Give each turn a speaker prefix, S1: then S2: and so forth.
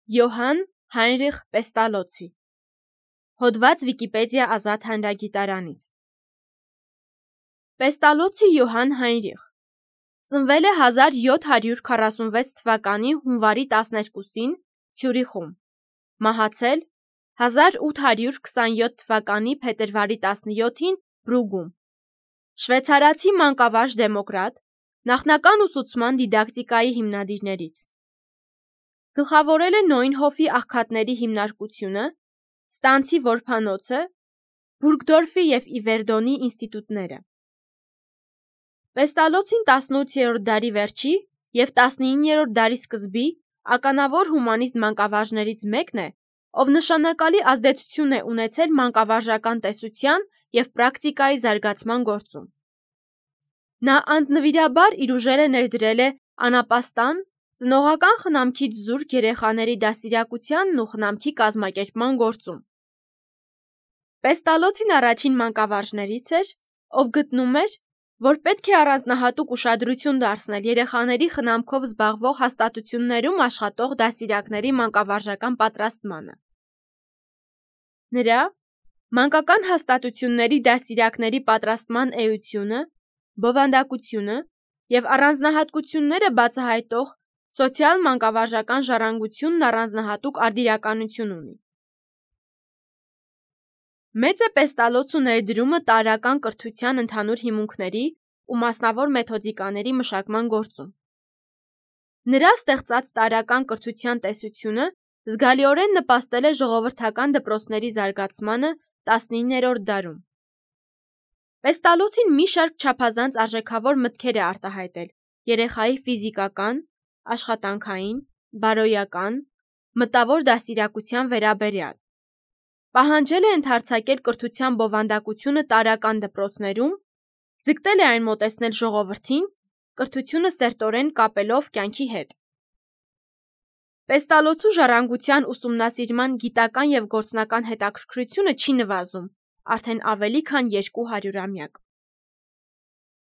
S1: Յոհան Հայնրիխ Պեստալոցի Հոդված Վիկիպեդիա ազատ հանրագիտարանից Պեստալոցի Յոհան Հայնրիխ ծնվել է 1746 թվականի հունվարի 12-ին Ցյուրիխում, մահացել 1827 թվականի փետրվարի 17-ին Բրուգում, շվեյցարացի մանկավարժ դեմոկրատ, նախնական ուսուցման դիդակտիկայի հիմնադիրներից։ Գլխավորել է Նոյնհոֆի աղքատների հիմնարկությունը, Ստանցի որբանոցը, Բուրգդորֆի և Իվերդոնի ինստիտուտները։ Պեստալոցին 18-րդ դարի վերջի և 19-րդ դարի սկզբի ականավոր հումանիստ մանկավարժներից մեկն է, ով նշանակալի ազդեցություն է ունեցել մանկավարժական տեսության և պրակտիկայի զարգացման գործում։ Նա անձնվիրաբար իր ուժերը ներդրել է անապաստան, ծնողական խնամքից զուրկ երեխաների դաստիարակությանն ու խնամքի կազմակերպման գործում։ Պեստալոցին առաջին մանկավարժներից էր, ով գտնում էր, որ պետք է առանձնահատուկ ուշադրություն դարձնել երեխաների խնամքով զբաղվող հաստատություններում աշխատող դաստիարակների մանկավարժական պատրաստմանը։ Նրա «Մանկական հաստատությունների դաստիարակների պատրաստման էությունը, բովանդակությունը և առանձնահատկությունները բացահայտող սոցիալ-մանկավարժական ժառանգությունն» առանձնահատուկ արդիականություն ունի։ Մեծ է Պեստալոցու ներդրումը տարրական կրթության ընդհանուր հիմունքների ու մասնավոր մեթոդիկաների մշակման գործում։ Նրա ստեղծած տարրական կրթության տեսությունը զգալիորեն նպաստել է ժողովրդական դպրոցների զարգացմանը 19-րդ դարում։ Պեստալոցին մի շարք չափազանց արժեքավոր մտքեր է արտահայտել երեխայի ֆիզիկական, աշխատանքային, բարոյական, մտավոր դաստիարակության վերաբերյալ։ Պահանջել է ընդարձակել կրթության բովանդակությունը տարրական դպրոցներում, ձգտել է այն մոտեցնել ժողովրդին, կրթությունը սերտորեն կապելով կյանքի հետ։ Պեստալոցու ժառանգության ուսումնասիրման գիտական և գործնական հետաքրքրությունը չի նվազում արդեն ավելի քան 200 ամյակ։